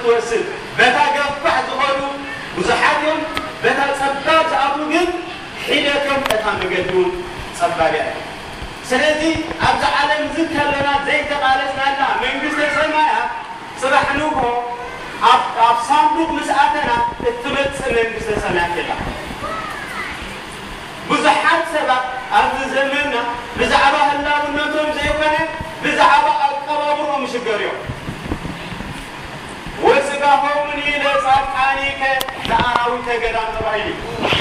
ወስድ በታ ገፋሕ ዝኾኑ ብዙሓት እዮም፣ በታ ጸባብ ዝኣትዉ ግን ሒደቶም እታ መገዲ እውን ጸባብ እያ። ስለዚ ኣብዛ ዓለም እዚ ከለና ዘይተቓለስናላ መንግስተ ሰማያት ጽባሕ ንግሆ ኣብ ኣብ ሳንዱቕ ምስ ኣተና እትመጽእ መንግስተ ሰማያት የላ። ብዙሓት ሰባት ኣብዚ ዘመንና ብዛዕባ ህላውነቶም ዘይኮነ ብዛዕባ ኣቀባብርኦም ይሽገሩ እዮም። ወስጋሆሙኒ ለጻድቃኒከ ለአራዊተ ገዳም ተባሂሉ እዩ።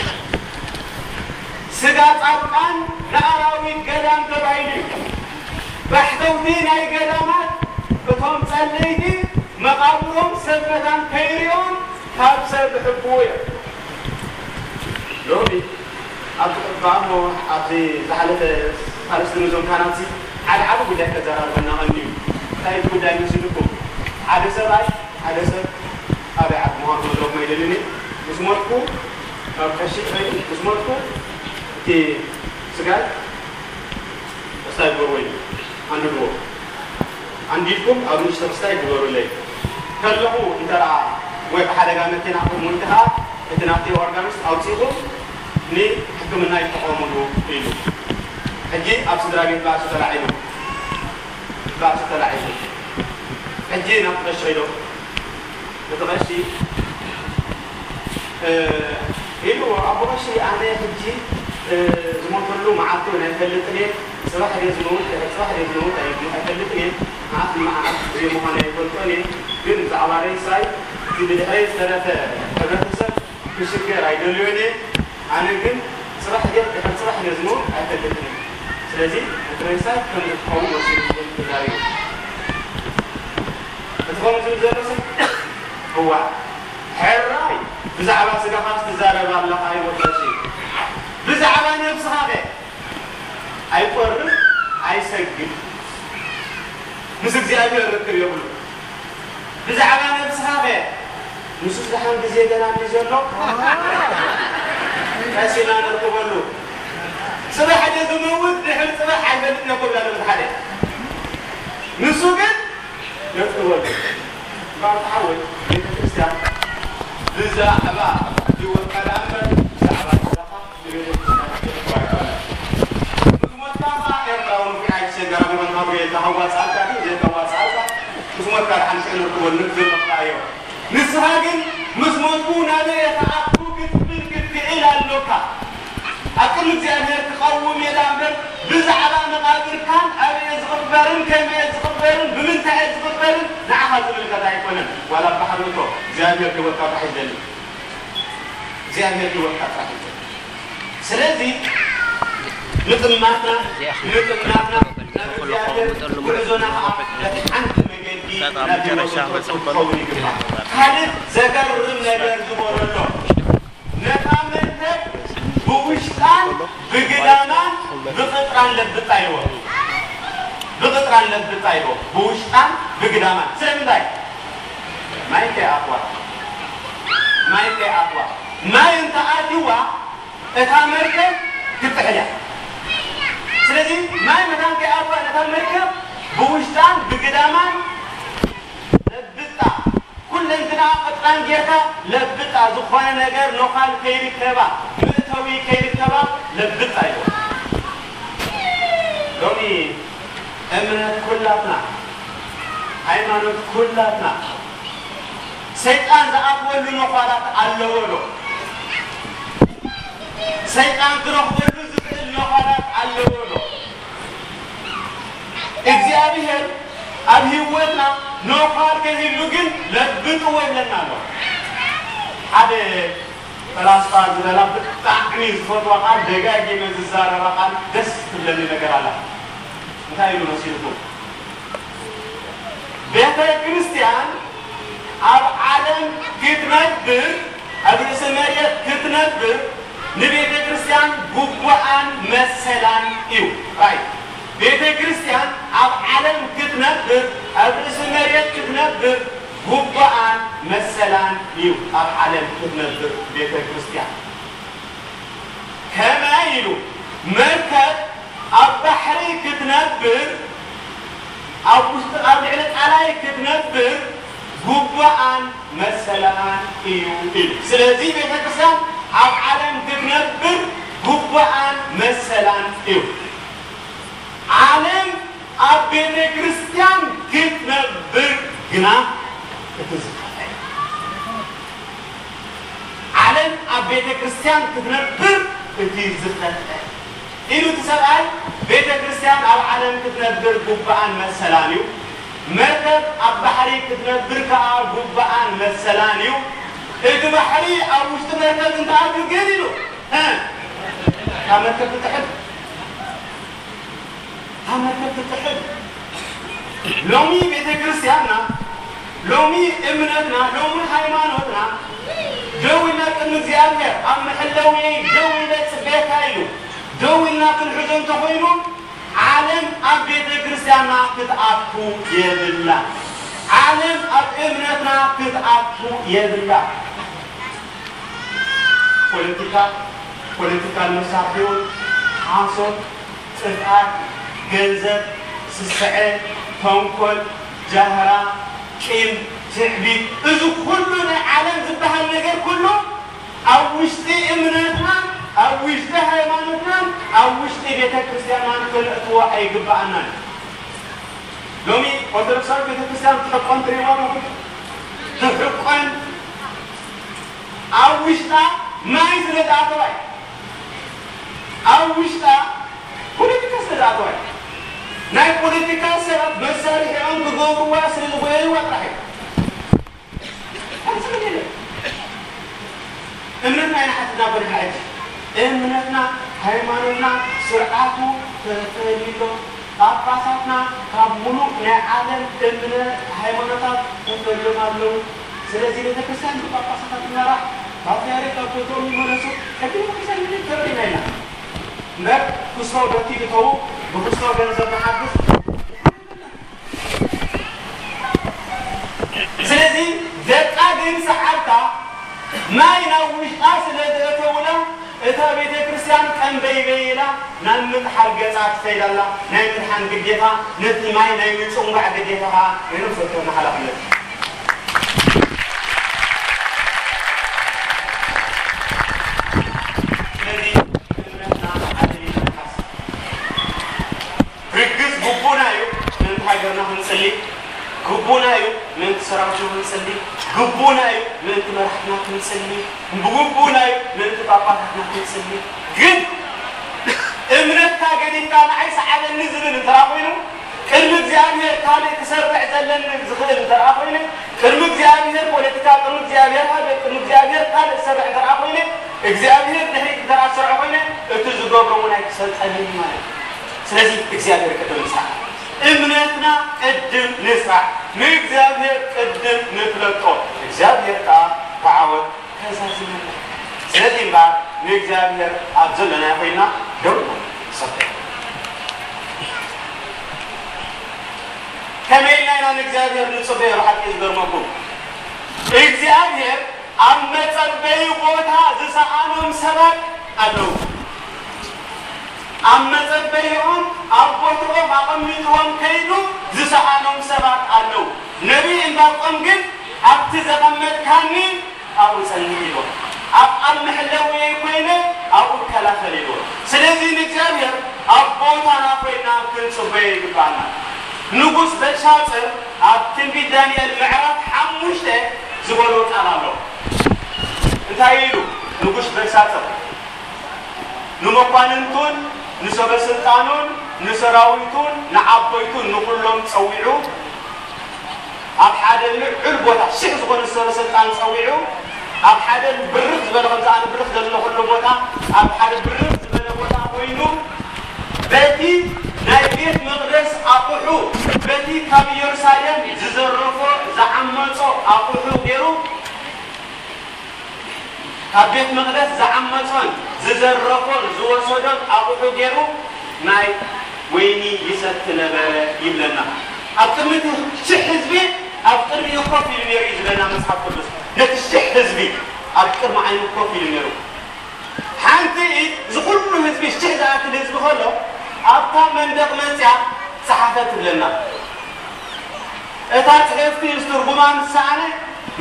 ስጋ ጻድቃን ለአራዊት ገዳም ተባሂሉ እዩ። ባሕተውቲ ናይ ገዳማት እቶም ጸለይቲ መቓብሮም ሰብ መታን ከይርእዮም ካብ ሰብ ይሕብኡ እዮም። ሎሚ ኣብቲ ቅዱስ ኣቦ ኣብዚ ዝሓለፈ ሳልስቲ ነዞም ካህናትሲ ሓደ ዓቢ ጉዳይ ከዘራርበና ቀንዩ እዩ። እንታይ እቲ ጉዳይ መሲልኩም? ሓደ ሰብኣይ ሓደ ሰብ ኣበይ ዓዲ ምዃኑ ክነግረኩም ኣይደልን እየ። ምስ ሞትኩ ካብ ቀሺ ኸይዱ ምስ ሞትኩ እቲ ስጋይ ተስታይ ግበርዎ እዩ። ኣንድድዎ። ኣንዲድኩም ኣብ ንእሽቶ ክስታይ ግበሩለይ። ከለኹ እንተ ደኣ ወይ ብሓደጋ መኪና ክትሞይቱ ከኣ እቲ ናብቲ ኦርጋኒስት ኣውጺእኹም ንሕክምና ይጠቐሙሉ ኢሉ። ሕጂ ኣብ ስድራ ቤት ባእሲ ተላዒሉ። ባእሲ ተላዒሉ። ሕጂ ናብ ቀሺ ከይዶም እቲ ቀሺ ኢሉ ኣቦ ቀሺ ኣነ ሕጂ ዝሞተሉ መዓልቲ እውን ኣይፈልጥን እየ። ጽባሕ ድየ ዝመውት ድሕሪ ጽባሕ ድየ ዝመውት ኣይፈልጥን እየ። መዓልቲ መዓልቲ ድየ ምዃኑ ኣይፈልጦን እየ። ግን ብዛዕባ ሬሳይ እቲ ብድሕረይ ዝተረፈ ሕብረተሰብ ክሽገር ኣይደልዮን እየ። ኣነ ግን ጽባሕ ድየ ድሕሪ ጽባሕ ድየ ዝመውት ኣይፈልጥን እየ። ስለዚ እቲ ሬሳይ ከም ዝትኸውን ወሲኑ ተዛሪቡ። እቲ ከምኡ ዝብል ዘሎ ሰብ እዋ ሕራይ ብዛዕባ ስጋኻስ ትዛረብ ኣለኻ ይወቀሲ። ብዛዕባ ነብስኻ ከ ኣይቆርብ ኣይሰግድ ምስ እግዚኣብሔር ርክብ የብሉ። ብዛዕባ ነብስኻ ከ ንሱስ ደሓን ግዜ ገና ኣሎ ዘሎ ቀሲና ነርክበሉ። ጽባሕ ድየ ዝመውት ድሕሪ ጽባሕ ኣይፈልጥን እየ ክብል ኣሎ ሓደ። ንሱ ግን ነርክበሉ። ባርታ ሓወይ ቤተ ክርስቲያን ብዛዕባ ሕጂ ወቀዳ እምበር ብዛዕባ ጽባሕ ንቤተ ክርስቲያን ክትጓየሉ። ምስ ሞትካ ከኣ ኤርትራዊ ንፉዕ ኣይትሸገር፣ ኣነ ወናብሬ ተዋጻእካ ድዩ ዘይተዋጻእካ ምስ ሞትካ ደሓን ሽዑ ነርክበሉ ንብል ዘለኹ እዮ። ንስኻ ግን ምስ ሞትኩ ናበይ እየ ክኣቱ ክትብል ክትክእል ኣሎካ። ኣብ ቅድሚ እግዚኣብሔር ክቐውም እየ ደኣ እምበር ብዛዕባ መቓብርካን ኣበይ እየ ዝቕበርን ከመይ እየ ዝቕበርን ብምንታይ እየ ዝቕበርን ንዓኻ ዝምልከት ኣይኮነን። ዋላ ባሕሪ እቶ እግዚኣብሔር ህይወትካ ጥራሕ ይደሊ። እግዚኣብሔር ህይወትካ ጥራሕ ይደሊ። ስለዚ ምጥማትና ምጥማትና ናብ እግዚኣብሔር ጉዕዞና ከዓ በቲ ሓንቲ መገዲ ናብ ህይወት ክትኸውን ይግባእ። ካልእ ዘገርም ነገር ዝበሎ ኣሎ። ነታ መርከብ ብውሽጣን ብግዳማን ብቕጥራን ለብጣ ኢልዎ። ብቕጥራን ለብጣ ኢልዎ። ብውሽጣን ብግዳማን። ስለምንታይ? ማይ ከይኣትዋ። ማይ ከይኣትዋ። ማይ እንተኣትዋ እታ መርከብ ክትጥሕል እያ። ስለዚ ማይ መታን ከይኣትዋ ነታ መርከብ ብውሽጣን ብግዳማን ለብጣ፣ ኩለንትናኣ ቅጥራን ጌርካ ለብጣ፣ ዝኾነ ነገር ኖኻል ከይርከባ፣ መእተዊ ከይርከባ ለብጣ ኢልዎ። ሎሚ እምነት ኩላትና፣ ሃይማኖት ኩላትና፣ ሰይጣን ዝኣትወሉ ኖዃላት ኣለዎ ዶ? ሰይጣን ክረኽበሉ ዝኽእል ኖዃላት ኣለዎ ዶ? እግዚኣብሔር ኣብ ህይወትና ኖዃል ከይህሉ ግን ለብጥዎ ይብለና ኣሎ። ሓደ ፈላስፋ ዝበላ ብጣዕሚ ዝፈትዋ ቃል፣ ደጋጊመ ዝዛረባ ቃል፣ ደስ ትብለኒ ነገር ኣላ። እንታይ ኢሉ መሲልኩም? ቤተ ክርስቲያን ኣብ ዓለም ክትነብር፣ ኣብ ርእሲ መሬት ክትነብር ንቤተ ክርስቲያን ግቡኣን መሰላን እዩ። ራይ ቤተ ክርስቲያን ኣብ ዓለም ክትነብር፣ ኣብ ርእሲ መሬት ክትነብር ግቡኣን መሰላን እዩ። ኣብ ዓለም ክትነብር ቤተ ክርስቲያን ከመይ ኢሉ መርከብ ኣብ ባሕሪ ክትነብር፣ ኣብ ውሽጢ፣ ኣብ ልዕሊ ቃላይ ክትነብር ጉባኣን መሰላን እዩ ኢሉ። ስለዚ ቤተ ክርስቲያን ኣብ ዓለም ክትነብር ጉባኣን መሰላን እዩ። ዓለም ኣብ ቤተ ክርስቲያን ክትነብር ግና እቲ ዝኸፍአ። ዓለም ኣብ ቤተ ክርስቲያን ክትነብር እቲ ዝኸፍአ ኢሉ እቲ ሰብኣይ። ቤተ ክርስቲያን ኣብ ዓለም ክትነብር ጉባኣን መሰላን እዩ። መርከብ ኣብ ባሕሪ ክትነብር ከኣ ጉባኣን መሰላን እዩ። እቲ ባሕሪ ኣብ ውሽጢ መርከብ እንተኣትዩ ግን ኢሉ፣ እ፣ ካብ መርከብ ትጥሕል። ካብ መርከብ ትጥሕል። ሎሚ ቤተ ክርስቲያንና፣ ሎሚ እምነትና፣ ሎሚ ሃይማኖትና ደው ኢልና ቅድሚ እግዚኣብሔር ኣብ መሐለዊ ደው ኢለ ጽበየካ ኢሉ ደው ኢልና ክንሕዞ እንተኾይኑ ዓለም ኣብ ቤተ ክርስቲያንና ክትኣቱ የብላ። ዓለም ኣብ እምነትና ክትኣቱ የብላ። ፖለቲካ፣ ፖለቲካል መሳርሒኡ፣ ሓሶት፣ ጥፍኣት፣ ገንዘብ፣ ስስዐ፣ ተንኮል፣ ጃህራ፣ ቂም፣ ትዕቢት፣ እዚ ኩሉ ናይ ዓለም ዝበሃል ነገር ኩሉ ኣብ ውሽጢ እምነትና፣ ኣብ ውሽጢ ሃይማኖትናን ኣብ ውሽጢ ቤተ ክርስቲያንናን ክነእትዎ ኣይግብኣናን። ሎሚ ኦርቶዶክሳዊት ቤተ ክርስቲያን ትሕቆን ትርእይዋ ኣለኹም። ትሕቆን ኣብ ውሽጣ ማይ ስለ ዝኣተዋ እዩ። ኣብ ውሽጣ ፖለቲካ ስለ ዝኣተዋ እዩ። ናይ ፖለቲካ ሰባት መሳርሒኦም ክገብርዋ ስለ ዝጎየይዋ ጥራሕ እዩ። ካልእ ስለ የለን። እምነትና ኢና ሓቲትና ኮነ ሕጂ። እምነትና፣ ሃይማኖትና፣ ስርዓቱ ተፈልዩ ኣሎ። ጳጳሳትና ካብ ሙሉእ ናይ ዓለም እምነ ሃይማኖታት ተፈልዮም ኣለዉ። ስለዚ ቤተክርስትያን ብጳጳሳታት ትመራሕ፣ ፓትርያርክ ካብ ቦትኦም ይመለሱ፣ ሕጊ ቤተክርስትያን ግን ተረዲና ኢና። እምበር ክስቶ በቲ እተዉ ብክስቶ ገንዘብ ንሓግዝ። ስለዚ ደቃ ግን ሰዓብታ ማይ ናብ ውሽጣ ስለ ዘእተውላ፣ እታ ቤተ ክርስቲያን ቀንበይበይ ኢላ ናብ ምጥሓል ገጻ ትኸይድ ኣላ። ናይ ምድሓን ግዴታ፣ ነቲ ማይ ናይ ምጽንባዕ ግዴታ ኸኣ ናይ ነፍሲ ወከፍና ሓላፍነት እዩ። ስለዚ እምነትና ኣደሊና ንሓስብ። ርግጽ ግቡና እዩ ምእንቲ ሃገርና ክንጽሊ፣ ግቡና እዩ ምእንቲ ሰራዊትና ክንጽሊ፣ ግቡና እዩ ምእንቲ መራሕትና ክንጽሊ፣ ግቡና እዩ ምእንቲ ጳጳሳትና ክንጽሊ። ግን እምነትካ ገዲፍካ ንዓይ ሰዓበኒ ዝብል እንተ ደኣ ኮይኑ፣ ቅድሚ እግዚኣብሔር ካልእ ክሰርዕ ዘለኒ ዝኽእል እንተ ደኣ ኮይነ፣ ቅድሚ እግዚኣብሔር ፖለቲካ፣ ቅድሚ እግዚኣብሔር ሃገር፣ ቅድሚ እግዚኣብሔር ካልእ ዝሰርዕ እንተ ደኣ ኮይነ፣ እግዚኣብሔር ድሕሪት እንተ ደኣ ዝሰርዖ ኮይነ፣ እቲ ዝገብሮ እውን ኣይክሰልጠንን እዩ ማለት እዩ። ስለዚ እግዚኣብሔር ቅድም ንስራሕ፣ እምነትና ቅድም ንስራሕ፣ ንእግዚኣብሔር ቅድም ንፍለጦ፣ እግዚኣብሔር ከኣ ብዓወት ከዛዝመና። ስለዚ እምበኣር ንእግዚኣብሔር ኣብ ዘለናዮ ኮይንና ደው ንበል። ንጸበዮ። ከመይ ኢልና ኢና ንእግዚኣብሔር ንጽበዮ? ብሓቂ ዝገርመኩም እግዚኣብሔር ኣብ መጸበዪ ቦታ ዝሰኣኖም ሰባት ኣለዉ። ኣብ መጸበይኦም ኣብ ቦትኦም ኣቐሚጥዎም ከይዱ ዝሰኣኖም ሰባት ኣለዉ። ነቢይ ዕንባቆም ግን ኣብቲ ዘቐመጥካኒ ኣብኡ ጸንሕ ኢልዎ። ኣብ፣ ኣብ መሕለውየይ ኮይነ ኣብኡ እከላኸል ኢልዎ። ስለዚ ንእግዚኣብሔር ኣብ ቦታና ኮይና ክንጽበዮ ይግባኣና። ንጉስ በልሻጽር ኣብ ትንቢት ዳንኤል ምዕራፍ ሓሙሽተ ዝበሎ ቃል ኣሎ። እንታይ ኢሉ ንጉስ በልሻጽር? ንመኳንንቱን ንሰበ ስልጣኑን ንሰራዊቱን ንዓበይቱን ንኹሎም ጸዊዑ፣ ኣብ ሓደ ልዑል ቦታ ሽሕ ዝኾኑ ሰበ ስልጣን ጸዊዑ፣ ኣብ ሓደ ብርኽ ዝበለ፣ ከምዚ ኣነ ብርኽ ዘለኹሉ ቦታ፣ ኣብ ሓደ ብርኽ ዝበለ ቦታ ኮይኑ፣ በቲ ናይ ቤት መቕደስ ኣቑሑ፣ በቲ ካብ ኢየሩሳሌም ዝዘረፎ ዝዓመጾ ኣቑሑ ገይሩ፣ ካብ ቤት መቕደስ ዝዓመጾን ዝዘረፎን ዝወሰዶን ኣቑሑ ገይሩ ናይ ወይኒ ይሰቲ ነበረ ይብለና። ኣብ ቅድሚ እቲ ሽሕ ህዝቢ ኣብ ቅድሚኡ ኮፍ ኢሉ ነይሩ እዩ ዝብለና መጽሓፍ ቅዱስ። ነቲ ሽሕ ህዝቢ ኣብ ቅድሚ ዓይኑ ኮፍ ኢሉ ነይሩ። ሓንቲ ኢድ እዚ ኩሉ ህዝቢ፣ ሽሕ ዝኣክል ህዝቢ ከሎ ኣብታ መንደቕ መጽያ ጸሓፈ ትብለና። እታ ጽሕፍቲ ምስ ትርጉማ ምስ ሰኣነ፣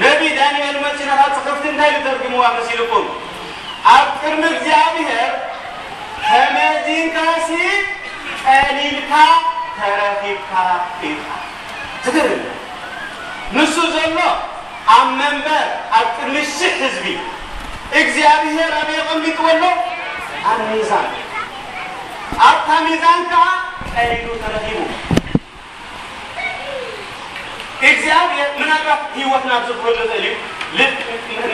ነቢይ ዳንኤል መጺኡ ነታ ጽሕፍቲ እንታይ ኢሉ ተርጉምዋ መሲልኩም? ኣብ ቅድሚ እግዚኣብሔር ተመዚንካሲ ቀሊልካ ተረኺብካ ኢኻ። ዝገርም እዩ። ንሱ ዘሎ ኣብ መንበር ኣብ ቅድሚ ሽሕ ህዝቢ፣ እግዚኣብሔር ኣበይ ኣቐሚጥዎ ኣሎ? ኣብ ሚዛን። ኣብታ ሚዛን ከኣ ቀሊሉ ተረኺቡ። እግዚኣብሔር ምናልባት ህይወትና ኣብዚ ክህሉ ይኽእል እዩ፣ ል-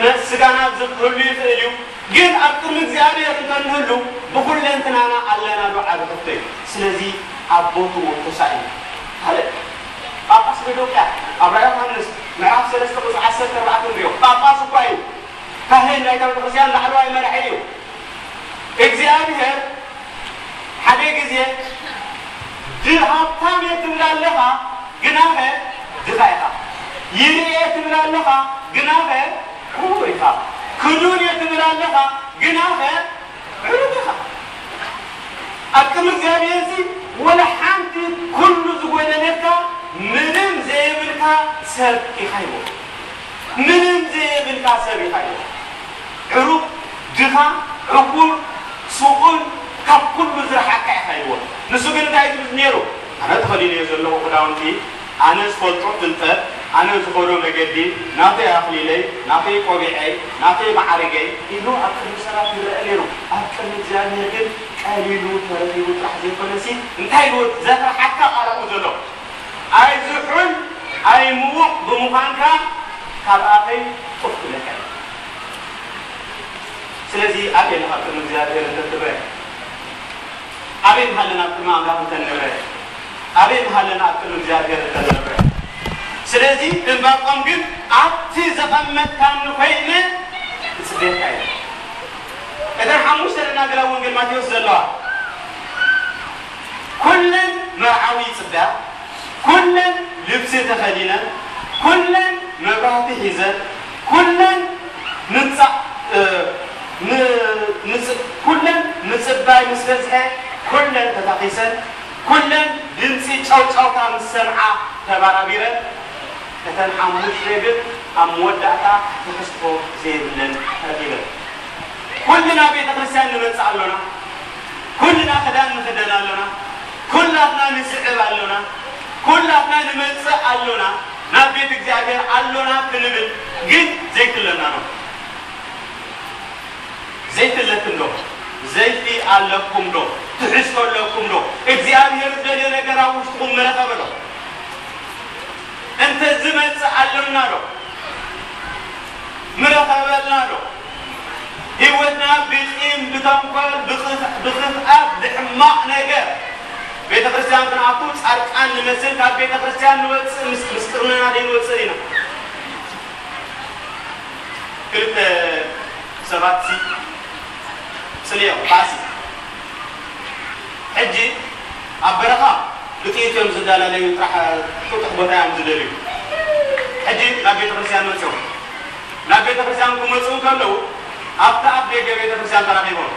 ነ- ስጋና ኣብዚ ክህሉ ይኽእል እዩ። ግን ኣብ ቅድሚ እግዚኣብሔር እንተንህሉ ብኹለንትናና ኣለና ዶ? ዓቢ ሕቶ እዩ። ስለዚ ኣብ ቦትኡ ተሳኢሉ። ካልእ ጳጳስ ሎዶቅያ ኣብ ራእይ ዮሃንስ ምዕራፍ ሰለስተ ቁጽሪ ዓሰርተ ኣርባዕተ ንሪኦ። ጳጳስ እኳ እዩ፣ ካህን ናይታ ቤተክርስትያን ላዕለዋይ መራሒ እዩ። እግዚኣብሔር ሓደ ግዜ ድ- ሃብታም እየ ትብል ኣለኻ፣ ግናኸ ድኻ ኢኻ። ይርኢ እየ ትብል ኣለኻ፣ ግናኸ ዕዉር ኢኻ። ክዱን እየ ትብል ኣለኻ፣ ግናኸ ዕሩብ ኢኻ። ኣብ ቅድሚ እግዚኣብሔር እዚ ወላ ሓንቲ ኩሉ ዝጎደለካ ምንም ዘየብልካ ሰብ ኢኻ ይብሎ። ምንም ዘየብልካ ሰብ ኢኻ ኢልዎ። ዕሩብ፣ ድኻ፣ ዕዉር፣ ስቑል፣ ካብ ኩሉ ዝረሓቅካ ኢኻ ኢልዎ። ንሱ ግን እንታይ ዝብል ነይሩ? ኣነ ተኸዲነዮ ዘለኹ ክዳውንቲ፣ ኣነ ዝፈልጦ ፍልጠት፣ ኣነ ዝኸዶ መገዲ፣ ናተይ ኣኽሊለይ፣ ናተይ ቆቢዐይ፣ ናተይ መዓርገይ ኢሉ ኣብ ቅድሚ ሰባት ይረአ ነይሩ። ኣብ ቅድሚ እግዚኣብሔር ግን ቀሊሉ ተረኺቡ ጥራሕ ዘይኮነሲ፣ እንታይ ኢልዎ? ዘፍርሓካ ቃል ኣብኡ ዘሎ። ኣይዝሑል ኣይምዉቕ ብምዃንካ ካብ ኣፈይ ጡፍ ክብለካ እዩ። ስለዚ ኣበይ ኣለኻ ኣብ ቅድሚ እግዚኣብሔር እንተትብረ? ኣበይ ምሃለና ኣብ ቅድሚ ኣምላኽ እንተንብረ? ኣበይ ምሃለና ኣብ ቅድሚ እግዚኣብሔር እንተንብረ? ስለዚ ዕንባቆም ግን ኣብቲ ዘቐመጥካኒ ኮይነ እጽበየካ እየ። እተን ሓሙሽተ ደናግል ኣብ ወንጌል ማቴዎስ ዘለዋ ኩለን መርዓዊ ይጽበያ፣ ኩለን ልብሲ ተኸዲነን፣ ኩለን መብራህቲ ሒዘን፣ ኩለን ምጻእ እ፣ ን- ንጽ- ኩለን ምጽባይ ምስ በዝሐ ኩለን ተታኺሰን፣ ኩለን ድምጺ ጫውጫውታ ምስ ሰምዓ ተባራቢረን፣ እተን ሓሙሽተ ግን ኣብ መወዳእታ ትሕዝቶ ዘይብለን ተረኺበን። ኩልና ቤተ ክርስቲያን ንመጽእ ኣሎና። ኩልና ክዳን ንኽደን ኣሎና። ኩላትና ንስዕብ ኣሎና። ኩላትና ንመጽእ ኣሎና። ናብ ቤት እግዚኣብሔር ኣሎና ክንብል ግን ዘይክለና ነው። ዘይትለትን ዶ? ዘይቲ ኣለኩም ዶ? ትሕዝቶ ኣለኩም ዶ? እግዚኣብሔር ዝደልዮ ነገር ኣብ ውሽጥኹም ምረኸበ ዶ? እንተ ዝመጽእ ኣለና ዶ? ምረኸበልና ዶ? ህይወትና ብቂም፣ ብተንኮል፣ ብኽፍ- ብኽፍኣት፣ ብሕማቕ ነገር ቤተ ክርስቲያን ክንኣቱ ጻድቃን ንመስል ካብ ቤተ ክርስቲያን ንወጽእ ምስ- ምስጢርና ዘይንወጽእ ኢና። ክልተ ሰባት ሲ ጽልዮም ባሲ ሕጂ ኣብ በረኻ ብጥይት እዮም ዝዳላለዩ፣ ጥራሕ ጥጡሕ ቦታ እዮም ዝደልዩ። ሕጂ ናብ ቤተ ክርስቲያን መጽኦም። ናብ ቤተ ክርስቲያን ክመጹ ከለዉ ኣብቲ ኣፍ ደገ ቤተ ክርስቲያን ተራኺቦም።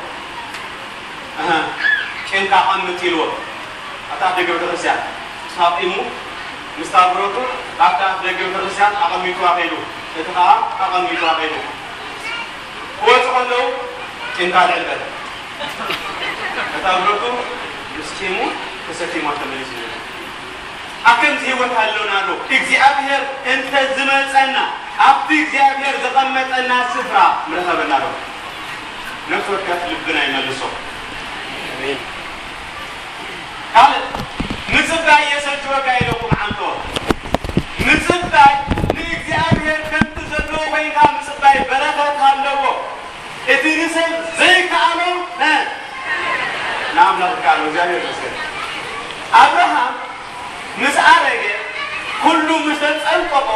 እህ፣ ጭንካ ኣቐምጥ ኢልዎ። ኣብቲ ኣፍ ደገ ቤተ ክርስቲያን ሳቂሙ ምስታ ብረቱ ኣብቲ ኣፍ ደገ ቤተ ክርስቲያን ኣቐሚጥዋ ከይዱ። እቲ ኸኣ ኣቐሚጥዋ ከይዱ። ክወጹ ከለዉ ጭንካ ልዕል በለ። እታ ብረቱ ምስ ጺሙ ተሰኪሞ ተመሊሱ። ኣብ ከምዚ ህይወት ኣሎና ዶ? እግዚኣብሔር እንተ ዝመጸና፣ ኣብቲ እግዚኣብሔር ዘቐመጠና ስፍራ ምረኸበና ዶ? ነፍሲ ወከፍ ልብና ይመልሶ። ኣሜን። ካልእ፣ ምጽባይ የሰልችወካ ኢለኩም ዓንቶ። ምጽባይ ንእግዚኣብሔር ከምቲ ዘለዎ ኮይንካ ምጽባይ በረኸት ኣለዎ። እቲ ንሰብ ዘይከኣሎ፣ እ፣ ንኣምላኽ ይከኣሎ። እግዚኣብሔር ይመስገን። ኣብርሃም ምስ ኣረገ ኩሉ ምስ ተጸንቀቆ፣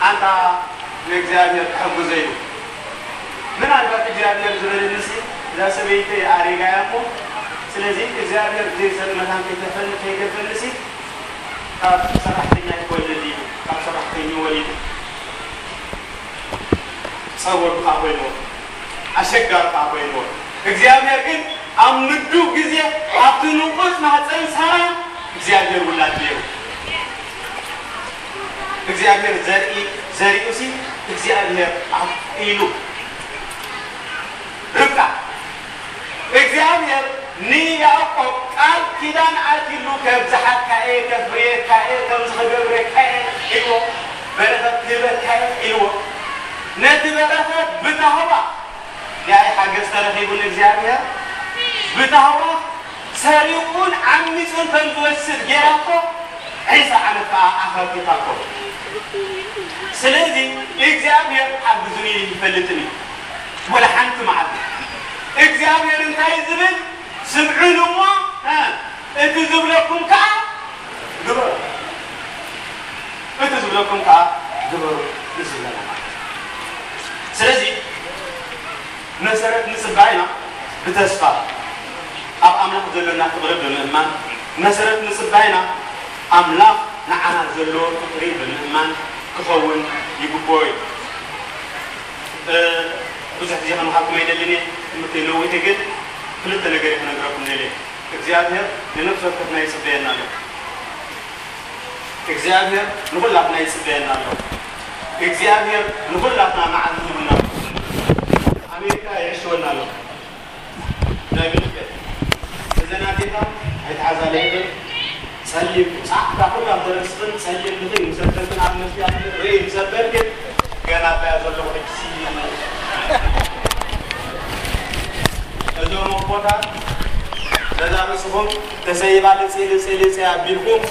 ኣንታ ንእግዚኣብሔር ክሕግዞ ኢሉ። ምናልባት እግዚኣብሔር ዝበለኒሲ እዛ ሰበይተይ ኣሪጋ እያ እሞ፣ ስለዚ እግዚኣብሔር ዘይሰጥ መታን ከይተፈል-፣ ከይገፈንሲ ካብ ሰራሕተኛ ይወልድ ኢሉ፣ ካብ ሰራሕተኛ ወሊዱ። ጸብ ወዱ ከኣ ኮይንዎ፣ ኣሸጋሪ ከኣ ኮይንዎ። እግዚኣብሔር ግን ኣብ ምዱብ ግዜ ኣብቲ ንቑጽ ማህፀን ሳራ እግዚኣብሔር ውላድ ገይሩ። እግዚኣብሔር ዘርኢ ዘሪኡሲ እግዚኣብሔር ኣብቂሉ። ርብቃ እግዚኣብሔር ንያዕቆብ ቃል ኪዳን ኣትሉ፣ ከብዝሓካ እየ፣ ከፍርየካ እየ፣ ከምዚ ክገብረካ እየ ኢልዎ፣ በረኸት ክህበካ እየ ኢልዎ። ነቲ በረኸት ብታህዋ ያኢ ሓገዝ ተረኺቡ ንእግዚኣብሔር ብታህዋ ሰሪቑን ዓሚጹን ከም ዝወስድ ጌራቶ፣ ዒስራ ዓመት ከኣ ኣኸልኪታቶ። ስለዚ እግዚኣብሔር ሓግዙኒ ይፈልጥን እዩ። ወላ ሓንቲ መዓልቲ እግዚኣብሔር እንታይ ዝብል ስምዑን እሞ፣ እ፣ እቲ ዝብለኩም ከኣ ግበሩ። እቲ ዝብለኩም ከኣ ግበሩ እዩ ዝብለና ማለት እዩ። ስለዚ መሰረት ምጽባይና ብተስፋ ኣብ ኣምላኽ ዘሎና ፍቕሪ ብምእማን፣ መሰረት ምጽባይና ኣምላኽ ንዓና ዘለዎ ፍቕሪ ብምእማን ክኸውን ይግብኦ እዩ። እ፣ ብዙሕ ግዜ ከመሃርኩም ኣይደልን እየ፣ ትምህርተይ ነዊሕ እዩ፣ ግን ክልተ ነገር እየ ክነግረኩም ደልየ። እግዚኣብሔር ንነፍሲ ወከፍና ይጽበየና ኣሎ። እግዚኣብሔር ንኹላትና ይጽበየና ኣሎ። እግዚኣብሔር ንኹላትና መዓልቲ ሂቡና ኣሎ። ኣሜሪካ ይዕሽወና ኣሎ። ናይ ብልበት እዘን ኣዴታት ኣይትሓዛ ለይብል ጸሊም ጻዕዳ ኩላ ተረስኽን ጸሊም ልኽን ምሰበልክን ኣብ መስያ ርኢ ምሰበልክን ገና ኣባያ ዘለኹ ሕጂ እዞም ኣቦታት ነዛ ርእስኹም ተሰይባ ልጽ ልጽ ልጽ ኣቢልኩም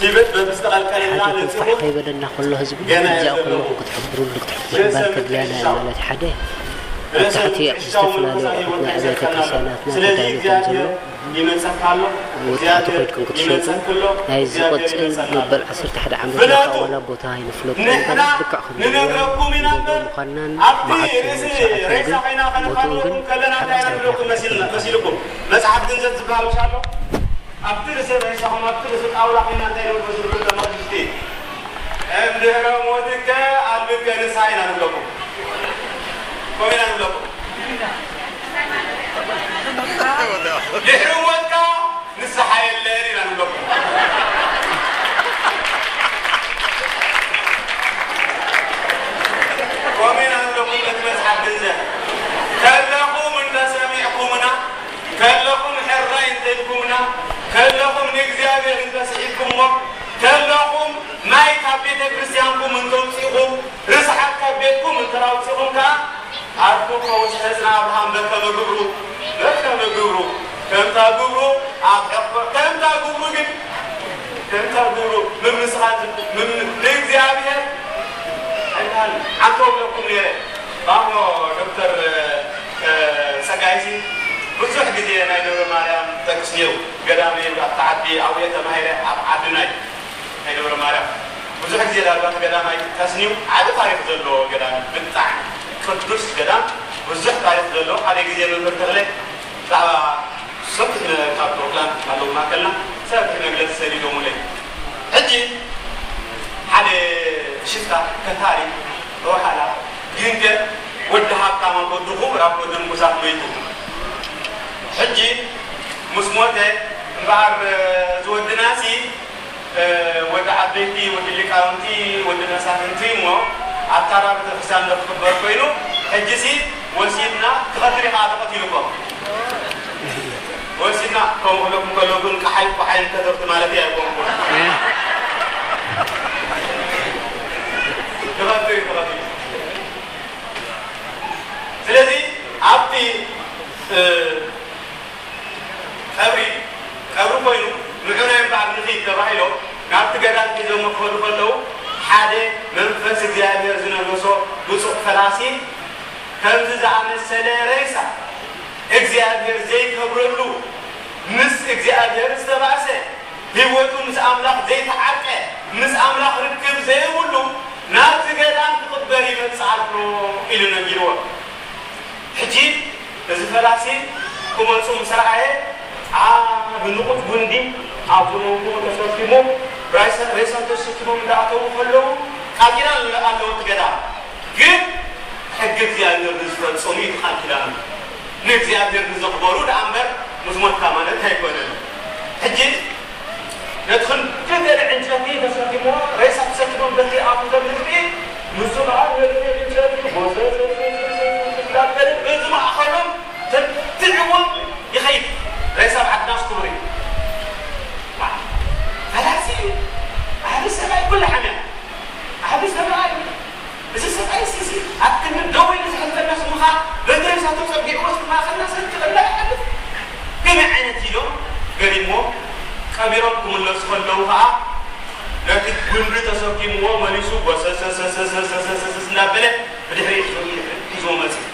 ሲብት በብዝተቐልቀልና ሓደ ተንፋሕ ልጽኹም ከይበለና ከሎ ህዝቢ ገና እዚኣ ዘለኹ። ከለኹም ክትሕብሩሉ ክትሕብሩ ግንባር ተድልያና እያ ማለት ሓደ ኣብ ርእሰ ታሕቲ ኣብ ክሻው ዝተፈላለዩ መንፈሳዊ ኣቑሑት ናይ ህይወት ኣብያተ ይዘከርና ኣሎ። ክርስቲያናትና ስለዚ ተዳልዩ ከም እግዚኣብሔር ዘሎ ይመጸካ ኣሎ። ወጣቱ እግዚኣብሔር ከድኩም ክትሸጡ ይመጸክሎ። ናይ እግዚኣብሔር ዝቆጽል ይመጸካ ኣሎ። መበል ዓሰርተ ሓደ ዓመት ፍለጡ። ዋላ ቦታ ኣይንፍለጡ ንሕና እምበር ልክዕ ከም ንነግረኩም ኢና እምበር ምዃንናን ኣብቲ መዓልቲ ርእሲ ሰዓትን ሬሳ ግን ኮይና ቦትኡ ግን ከነፋንወኩም ከለና እንታይ ኢና ንብለኩም መሲልና መሲልኩም? መጽሓፍ ግንዘት ዝበሃል ምሽ ኣሎ? ኣብቲ ርእሲ ሬሳኹም ኣብቲ ርእሲ ጣውላ ኮይና እንታይ ንብለኩም መሲልኩም ተመቕሽቲ? እምድህረ ሞትከ ኣልብከ ንስሓ ኢና ንብለኩም። ከምኡ ኢና ንብለኩም። ድሕሪ ሞትካ ንስሓ የለን ኢና ንብለኩም። ከምኡ ኢና ንብለኩም በቲ መጽሓፍ ግንዘት። ከለኹም እንተሰሚዕኩምና፣ ከለኹም ሕራይ እንተኢልኩምና፣ ከለኹም ንእግዚኣብሔር እንተስሒብኩሞ፣ ከለኹም ማይ ካብ ቤተ ክርስቲያንኩም እንተውጺእኹም፣ ርስሓት ካብ ቤትኩም እንተራውጺኹም ከኣ፣ ኣርኩ ከውስሐ ጽና ኣብርሃም በከመ ግብሩ፣ በከመ ግብሩ፣ ከምታ ግብሩ ኣብ ዕቕበ-፣ ከምታ ግብሩ ግን፣ ከምታ ግብሩ ምምስጋን ዝ-፣ ምም-፣ ንእግዚኣብሔር ኣይበሃል። ኣንተ ውለኩም ነይረ። ባሞ ዶክተር፣ እ፣ ጸጋይሲ ብዙሕ ግዜ ናይ ደብረ ማርያም ጠቅስ ነይሩ። ገዳመይ ኣብታ ዓዲ ኣብየ ተማሂረ ኣብ ዓድናይ ናይ ደብረ ማርያም ብዙሕ ግዜ ዳርጋ እቲ ገዳም ኣይጥቀስን እዩ። ዓቢ ታሪኽ ዘለዎ ገዳም እዩ። ብጣዕሚ ቅዱስ ገዳም፣ ብዙሕ ታሪኽ ዘለዎ። ሓደ ግዜ መምህር ተኽለ ብዛዕባ ሰፊሕ ነ-፣ ካብ ኦክላንድ ኣለዉ ማእከልና ሰፊሕ መግለጺ ሰዲዶሙለይ። ሕጂ ሓደ ሽፍታ ከታሪ ወሓላ ግንገር ወዲ ሃብታም ኣብ ወድኹ ራብ ወዲ ንጉሳት መይቱ። ሕጂ ምስ ሞተ እምበኣር ዝወድናሲ ወዲ ዓበይቲ፣ ወዲ ሊቃውንቲ፣ ወዲ መሳፍንቲ እሞ ኣብ ታራ ቤተክርስትያን ዶ ክኽበር ኮይኑ፣ ሕጂሲ ወሲድና ትኸትል ኢኻ ተቐቲሉ እኮ። ወሲድና ከምኡ ክብለኩም ከለኹ ግን ቀሓይ ቆሓይ ከተርቲ ማለት ኣይኮንኩን። ትኸትል እዩ፣ ትኸትል። ስለዚ ኣብቲ፣ እ፣ ቀብሪ፣ ቀብሪ ኮይኑ ንዑ ናይ እምበኣር ንኺድ ተባሂሎም ናብቲ ገዳም ሒዞሞ ክኸዱ ከለዉ፣ ሓደ መንፈስ እግዚኣብሔር ዝነገሶ ብፁዕ ፈላሲ፣ ከምዚ ዝኣመሰለ ሬሳ እግዚኣብሔር ዘይከብረሉ፣ ምስ እግዚኣብሔር ዝተባእሰ፣ ህይወቱ ምስ ኣምላኽ ዘይተዓርቀ፣ ምስ ኣምላኽ ርክብ ዘይብሉ ናብዚ ገዳም ክቕበር ይመጽእ ኣሎ ኢሉ ነጊርዎ። ሕጂ እዚ ፈላሲ ክመጹ ምስ ረኣየ፣ ዓቢ ንቑጽ ጉንዲ ኣብ መንጎ ተሰኪሙ፣ ሬሳ፣ ሬሳ ተሰኪሞም እንዳኣተዉ ከለዉ፣ ቃል ኪዳን ኣለዎ እቲ ገዳም። ግን ሕጊ እግዚኣብሔር ንዝፈጽሙ እዩ እቲ ቃል ኪዳኑ። ንእግዚኣብሔር ንዘኽበሩ ደኣ እምበር ምስ ሞትካ ማለት ኣይኮነን። ሕጂ ነቲ ክንዲ ገለ ዕንጨቲ ተሰኪምዎ፣ ሬሳ ተሰኪሞም በቲ ኣብኡ ኩሉ ሓምያ። ዓቢ ሰብኣይ እዩ። እዚ ሰብኣይ እዚ ኣብ ክንዲ ደው ኢሉ ዝሕልፈና ስሙ ኸኣ በትሪ እሳቱ ጸጊዕዎ ኣብ ማእከልና ሰቲ ክላ ይሓልፍ። ከመይ ዓይነት ኢሎም ገሪሞ ቀቢሮም ክምለሱ ከለዉ ኸኣ ነቲ ጉንዲ ተሰኪምዎ መሊሱ ጎሰሰሰሰሰሰሰሰስ እናበለ ብድሕሪኡ ሒዙ ይድሕር ሒዝዎ መጺኡ።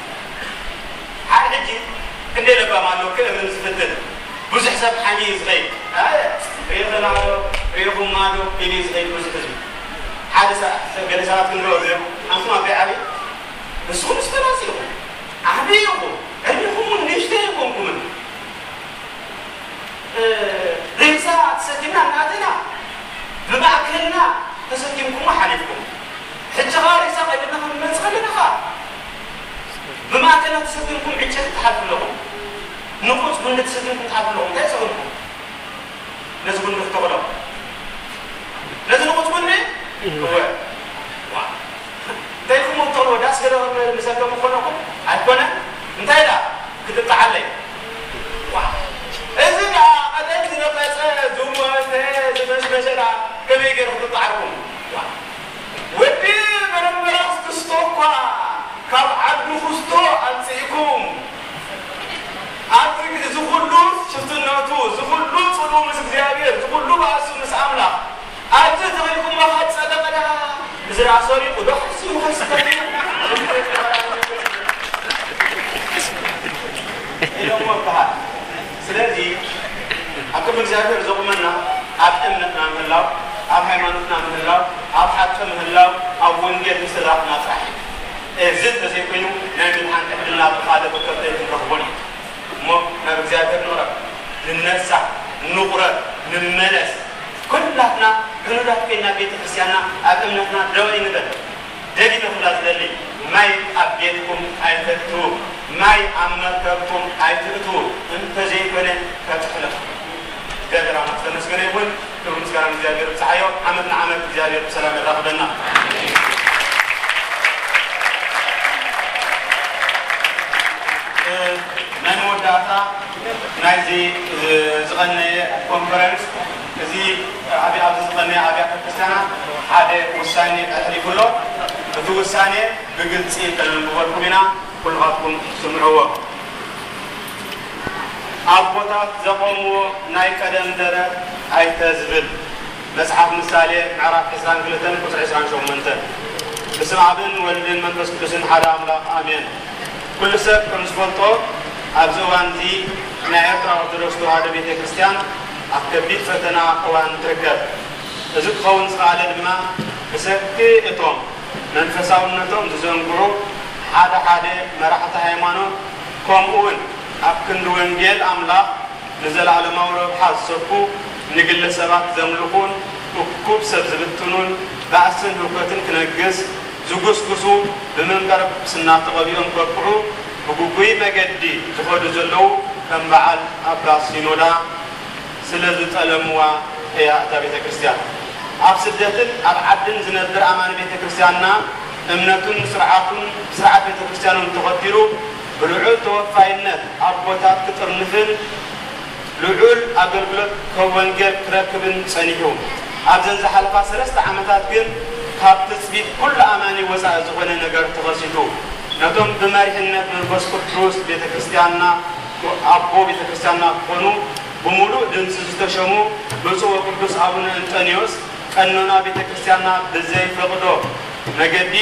ሓደ ሕጂ ክንደይ ለባም ኣሎ ክእምን ዝፍትን ብዙሕ ሰብ ሓሚ እዩ ዝኸይድ። ኣየ ሪኢኸና ዶ ሪኢኹማ ዶ ኢሉ እዩ ዝኸይድ ብዙሕ ህዝቢ። ሓደ ሰ- ገለ ሰባት ክንሪኦ እዮም ኣንቱም ኣበይ ዓብይ ንስኹም ምስ ፈላሲ ኢኹም ዓብይ ኢኹም ዕድሜኹም እውን ንእሽተይ ኣይኮንኩምን። ሬሳ ተሰኪምና እናኣተና ብማእከልና ተሰኪምኩሞ ሓሊፍኩም። ሕጂ ኸኣ ሬሳ ቀይርና ክንመጽእ ከለና ኸኣ ብማእከልና ተሰኪምኩም ዕንጨይቲ ትሓልፉ ኣለኹም። ንቑጽ ጉንዲ ተሰኪምኩም ትሓልፉ ኣለኹም። እንታይ ይሰኽልኩም? ነዚ ጉንዲ ክተኽሎ ነዚ ንቑጽ ጉንዲ እወ ዋ እንተይልኩም እተኽልዎ ዳስ ገለ ምሰከም እኮነኹም ኣይኮነ እንታይ ዳ ክትጣዓለይ ዋ እዚ ዳ ቀደም ዝነቐጸ ዝሞተ ዝመሽመሸ ዳ ከመይ ገይሩ ክትጣዓርኩም ዋ ወዲ በረምበራስ ክስቶ እኳ ካብ ዓዱ ክስቶ ኣምጽእኩም ኣብዚ እዚ ኩሉ ሽፍትነቱ እዚ ኩሉ ጽልኡ ምስ እግዚኣብሔር እዚ ኩሉ ባእሱ ምስ ኣምላኽ ኣብዚ ተኺልኩሞ ካብ ጸደቐ ደኣ እዚ ደኣ ሰሪቑ ዶ ሓሲቡ ከይስከት ኢሎሞ ይበሃል። ስለዚ ኣብ ቅድሚ እግዚኣብሔር ዘቑመና ኣብ እምነትና ምህላው፣ ኣብ ሃይማኖትና ምህላው፣ ኣብ ሓቂ ምህላው፣ ኣብ ወንጌል ምስላጥና ጥራሕ እዩ። እዚ እንተዘይኮይኑ ናይ ምድሓን ዕድልና ብኻልእ ርከብተ ኣይክንረኽቦን እዩ። እሞ ናብ እግዚኣብሔር ንቕረብ፣ ንነሳሕ፣ ንቑረብ፣ ንመለስ። ኩላትና ሕኑዳት ኮይና ቤተ ክርስቲያንና ኣብ እምነትና ደው ኣይንበል። ደጊመ ክብላ ዝደሊ፣ ማይ ኣብ ቤትኩም ኣይተእትዉ፣ ማይ ኣብ መርከብኩም ኣይትእትዉ፣ እንተዘይኮነ ከጥሕለኩም። እግዚኣብሔር ኣምላኽ ዝተመስገነ ይኹን። ክብሪ ምስጋና ንእግዚኣብሔር ይብጽሓዮ። ዓመት ንዓመት እግዚኣብሔር ብሰላም የራኽበና። እ፣ ናይ መወዳእታ ናይዚ፣ እ፣ ዝቐነየ ኮንፈረንስ፣ እዚ ኣብያ-፣ ኣብዚ ዝቐነየ ኣብያተ ክርስቲያናት ሓደ ውሳኔ ኣሕሊፉ ኣሎ። እቲ ውሳኔ ብግልጺ ከነንብበልኩም ኢና። ኩልኻትኩም ስምዕዎ። ኣቦታት ዘቖምዎ ናይ ቀደም ደረት ኣይተዝብል። መጽሓፍ ምሳሌ ምዕራፍ ዕስራን ክልተን ቁጽሪ ዕስራን ሸሞንተን። ብስም ኣብን ወልድን መንፈስ ቅዱስን ሓደ ኣምላኽ ኣሜን። ኩሉ ሰብ ከም ዝፈልጦ ኣብዚ እዋን እዚ ናይ ኤርትራ ኦርቶዶክስ ተዋህዶ ቤተ ክርስቲያን ኣብ ከቢድ ፈተና እዋን ትርከብ። እዚ ክኸውን ዝኸኣለ ድማ ብሰንኪ እቶም መንፈሳውነቶም ዝዘንግዑ ሓደ ሓደ መራሕቲ ሃይማኖት፣ ከምኡውን ኣብ ክንዲ ወንጌል ኣምላኽ ንዘለኣለማዊ ረብሓ ዝሰብኩ፣ ንግለ ሰባት ዘምልኹን እኩብ ሰብ ዝብትኑን ባእስን ህውከትን ክነግስ ዝጉስጉሱ፣ ብመንበረ ጵጵስና ተቐቢኦም ከብቅዑ ብግጉይ መገዲ ዝኸዱ ዘለዉ ከም በዓል ኣባ ሲኖዳ ስለ ዝጠለምዋ እያ እታ ቤተ ክርስቲያን። ኣብ ስደትን ኣብ ዓድን ዝነብር ኣማኒ ቤተ ክርስቲያንና እምነቱን ስርዓቱን ስርዓት ቤተ ክርስቲያኑን ተኸቲሉ ብልዑል ተወፋይነት ኣቦታት ክጥርንፍን ልዑል ኣገልግሎት ካብ ወንጌል ክረክብን ጸኒሑ። ኣብዘን ዝሓለፋ ሰለስተ ዓመታት ግን ካብ ትጽቢት ኩሉ ኣማኒ ወጻኢ ዝኾነ ነገር ተኸሲቱ። ነቶም ብመሪሕነት መንፈስ ቅዱስ ቤተ ክርስቲያንና ኣቦ ቤተ ክርስቲያንና ክኾኑ ብምሉእ ድምፂ ዝተሸሙ ብፁዕ ወቅዱስ ኣቡነ እንጠንዮስ ቀኖና ቤተ ክርስቲያንና ብዘይፈቕዶ መገዲ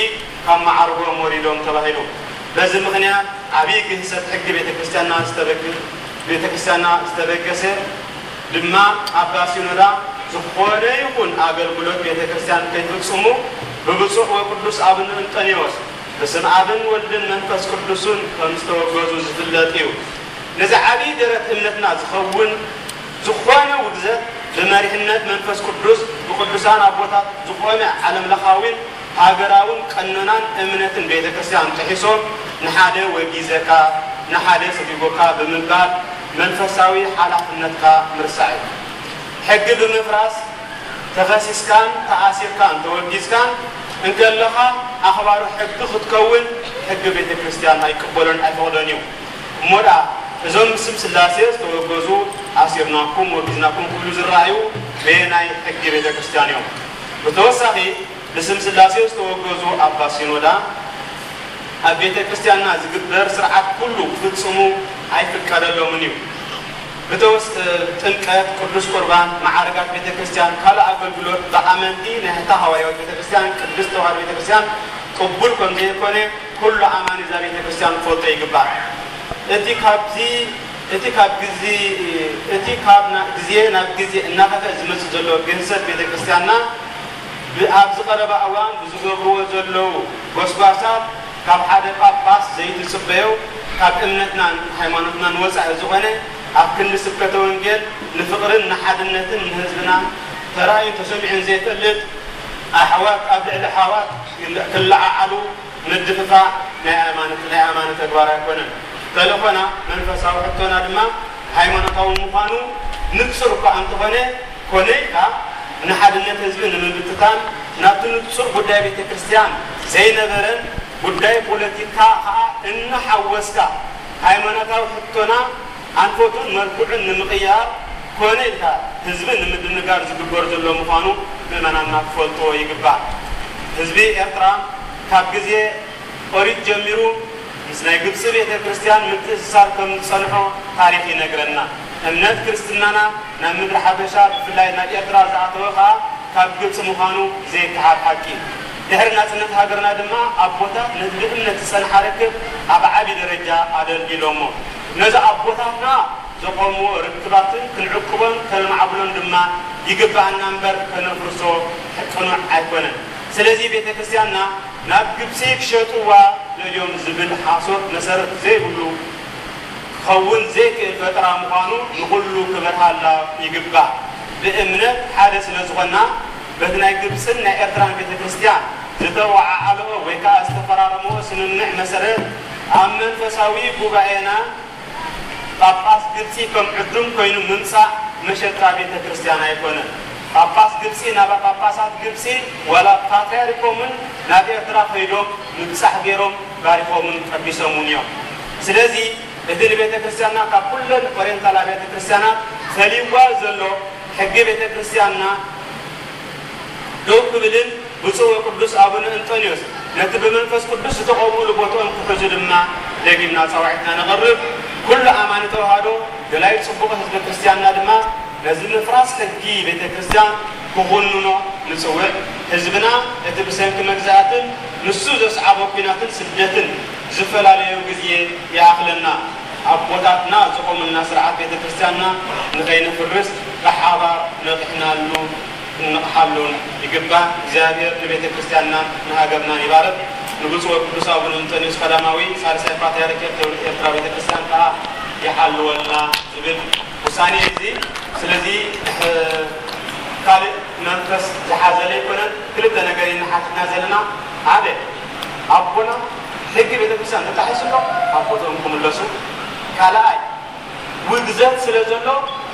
ካብ መዓርጎም ወሪዶም ተባሂሉ። በዚ ምኽንያት ዓብዪ ግህሰት ሕጊ ቤተ ክርስቲያንና ዝተበግ-፣ ቤተ ክርስቲያንና ዝተበገሰ ድማ ኣባ ሲኖዳ ዝኾነ ይኹን ኣገልግሎት ቤተ ክርስቲያን ከይፍጽሙ ብብፁዕ ወቅዱስ ኣቡነ እንጠንዮስ በስም ኣብን ወልድን መንፈስ ቅዱስን ከም ዝተወገዙ ዝፍለጥ እዩ። ነዚ ዓብዪ ደረት እምነትና ዝኸውን ዝኾነ ውግዘት ብመሪሕነት መንፈስ ቅዱስ ብቅዱሳን ኣቦታት ዝኾነ ዓለምለኻዊን ሃገራውን ቀኖናን እምነትን ቤተ ክርስቲያን ጥሒሶም ንሓደ ወጊዘካ ንሓደ ሰጒጎካ ብምባል መንፈሳዊ ሓላፍነትካ ምርሳዕ እዩ። ሕጊ ብምፍራስ ተኸሲስካን ተኣሲርካን ተወጊዝካን እንከለኻ ኣኽባሪ ሕጊ ክትከውን ሕጊ ቤተ ክርስቲያን ኣይቅበሎን ኣይፈቕዶን እዩ። እሞ ደኣ እዞም ብስም ስላሴ ዝተወገዙ ኣሲርናኩም ወጊዝናኩም ክብሉ ዝረኣዩ በየናይ ሕጊ ቤተ ክርስቲያን እዮም? ብተወሳኺ፣ ብስም ስላሴ ዝተወገዙ ኣባ ሲኖዳ ኣብ ቤተ ክርስቲያንና ዝግበር ስርዓት ኩሉ ክፍጽሙ ኣይፍቀደሎምን እዩ። ብተወስ ጥምቀት፣ ቅዱስ ቁርባን፣ መዓርጋት ቤተ ክርስቲያን፣ ካልእ ኣገልግሎት ብኣመንቲ ናይታ ሃዋርያዊት ቤተ ክርስቲያን ቅድስት ተዋህዶ ቤተ ክርስቲያን ቅቡል ከም ዘይኮነ ኩሉ ኣማኒ እዛ ቤተ ክርስቲያን ክፈልጦ ይግባእ። እቲ ካብዚ እቲ ካብ ግዜ እቲ ካብ ና- ግዜ ናብ ግዜ እናኸፍአ ዝመጽእ ዘሎ ግህሰት ቤተ ክርስቲያንና ብ- ኣብዚ ቀረባ እዋን ብዝገብርዎ ዘለዉ ጎስጓሳት ካብ ሓደ ጳጳስ ዘይትጽበዮ ካብ እምነትናን ሃይማኖትናን ወጻኢ ዝኾነ ኣብ ክንዲ ስብከተ ወንጌል ንፍቕርን ንሓድነትን ንህዝብና ተራእዩን ተሰሚዑን ዘይፈልጥ ኣሕዋት ኣብ ልዕሊ ኣሕዋት ክለዓዓሉ ምድፍፋእ ናይ ኣማኒ ናይ ኣማኒ ተግባር ኣይኮነን። ተልእኾና መንፈሳዊ ሕቶና ድማ ሃይማኖታዊ ምዃኑ ንጹር እኳ እንተኾነ፣ ኮነ ኢልካ ንሓድነት ህዝቢ ንምብትታን ናብቲ ንጹር ጉዳይ ቤተ ክርስቲያን ዘይነበረን ጉዳይ ፖለቲካ ከኣ እናሓወስካ ሃይማኖታዊ ሕቶና ኣንፈቱን መልክዑን ንምቕያር ኮነ ኢልካ ህዝቢ ንምድንጋር ዝግበር ዘሎ ምዃኑ ምእመናንና ክፈልጥዎ ይግባእ። ህዝቢ ኤርትራ ካብ ግዜ ኦሪት ጀሚሩ ምስ ናይ ግብጺ ቤተ ክርስቲያን ምትእስሳር ከም ዝጸንሖ ታሪኽ ይነግረና። እምነት ክርስትናና ናብ ምድሪ ሓበሻ ብፍላይ ናብ ኤርትራ ዝኣተወ ከኣ ካብ ግብጺ ምዃኑ ዘይከሓድ ሓቂ። ድሕሪ ናጽነት ሃገርና ድማ ኣቦታት ነቲ ብእምነት ዝጸንሓ ርክብ ኣብ ዓቢ ደረጃ ኣደልዲሎሞ። ነዚ ኣቦታትና ዘቆምዎ ርክባትን ክንዕቅቦን ከነማዕብሎን ድማ ይግብኣና እምበር ከነፍርሶ ቅኑዕ ኣይኮነን። ስለዚ ቤተ ክርስቲያንና ናብ ግብጺ ክሸጥዋ ደልዮም ዝብል ሓሶት መሰረት ዘይብሉ ክኸውን ዘይክእል ፈጠራ ምዃኑ ንኹሉ ክበርሃላ ይግባእ። ብእምነት ሓደ ስለ ዝኾንና በቲ ናይ ግብጽን ናይ ኤርትራን ቤተ ክርስቲያን ዝተወዓዓለኦ ወይ ከኣ ዝተፈራረመኦ ስምምዕ መሰረት ኣብ መንፈሳዊ ጉባኤና ጳጳስ ግብጺ ከም ዕዱም ኮይኑ ምምጻእ መሸጣ ቤተ ክርስቲያን ኣይኮነን። ጳጳስ ግብጺ ናባ ጳጳሳት ግብጺ ዋላ ፓትርያርኮምን ናብ ኤርትራ ከይዶም ምብጻሕ ገይሮም ባሪኾምን ቀዲሶምን እዮም። ስለዚ እቲ ንቤተ ክርስቲያንና ካብ ኩለን ኦሪየንታል ኣብያተ ክርስቲያናት ፈልይዋ ዘሎ ሕጊ ቤተ ክርስቲያንና ደው ክብልን ብፁዕ ወቅዱስ ኣቡነ እንጠንዮስ ነቲ ብመንፈስ ቅዱስ ዝተቐብኡሉ ቦትኦም ክሕዙ ድማ ደጊምና ጻውዒትና ነቕርብ። ኩሉ ኣማኒ ተዋህዶ ደላይ ጽቡቕ ህዝበ ክርስቲያንና ድማ ነዚ ምፍራስ ሕጊ ቤተ ክርስቲያን ክኹንኖ ንጽውዕ። ህዝብና እቲ ብሰንኪ መግዛእትን ንሱ ዘስዓቦ ኲናትን ስደትን ዝፈላለዮ ግዜ ይኣኽለና። ኣቦታትና ዝቖሙልና ስርዓት ቤተ ክርስቲያንና ንኸይነፍርስ ብሓባር ነቒሕናሉ ክንነቕሓሉን ይግባእ። እግዚኣብሔር ንቤተ ክርስቲያንናን ንሃገርናን ይባርክ። ንብፁዕ ወቅዱስ ኣቡነ እንጠንዮስ ቀዳማዊ ሳልሳይ ፓትርያርክ ኤርትራ ቤተ ክርስቲያን ከኣ ይሓልወልና ዝብል ውሳኔ እዩ እዚ። ስለዚ እ፣ ካልእ መንፈስ ዝሓዘለ ኣይኮነን። ክልተ ነገር ኢና ሓቲትና ዘለና። ሓደ ኣቦና ሕጊ ቤተ ክርስቲያን ተጣሒሱ ኣሎ፣ ኣብ ቦትኦም ክምለሱ። ካልኣይ ውግዘት ስለ ዘሎ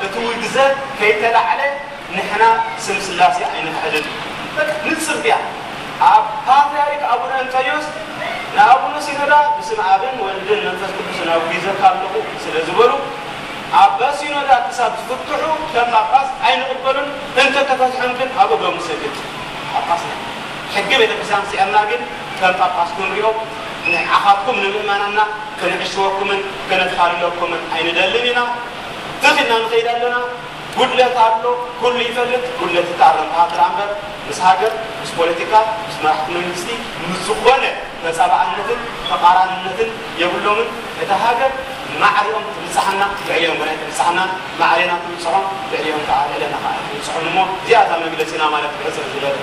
እቲ ውግዘት ከይተላዕለ ንሕና ስም ስላሴ ኣይንክሕድን። በቃ ንጽር ድያ? ኣብ ፓትርያርክ ኣቡነ እንጠንዮስ ንኣቡነ ሲኖዳ ብስም ኣብን ወልድን መንፈስ ቅዱስን ኣውጊዘካ ኣለኹ ስለ ዝበሉ ኣባ ሲኖዳ ክሳብ ዝፍትሑ ከም ጳጳስ ኣይንቕበሉን። እንተተፈትሖም ግን ኣብ እግሮም ንሰግድ። ጳጳስና ሕጊ ቤተክርስትያን ስዒርና ግን ከም ጳጳስ ክንሪኦም ንዓኻትኩም ንምእመናንና ክንዕሽወኩምን ከነታልለኩምን ኣይንደልን ኢና። ትኽ ኢልና ንኸይድ ኣለና። ጉድለት ኣሎ፣ ኩሉ ይፈልጥ፣ ጉድለት ይተኣረም ክሓትር እምበር ምስ ሃገር፣ ምስ ፖለቲካ፣ ምስ መራሕቲ መንግስቲ፣ ምስ ዝኾነ ተጻባእነትን ተቓራንነትን የብሎምን። እታ ሃገር ማዕሪኦም ትብጽሓና፣ ልዕሊኦም ግን ኣይትብጽሓና፣ ማዕሬና ትብጽሖም፣ ልዕሊኦም ከዓ ልዕለና ከዓ ኣይትብጽሖም እሞ እዚኣ እታ መግለጺና ማለት ብሕጽር ዝበለ።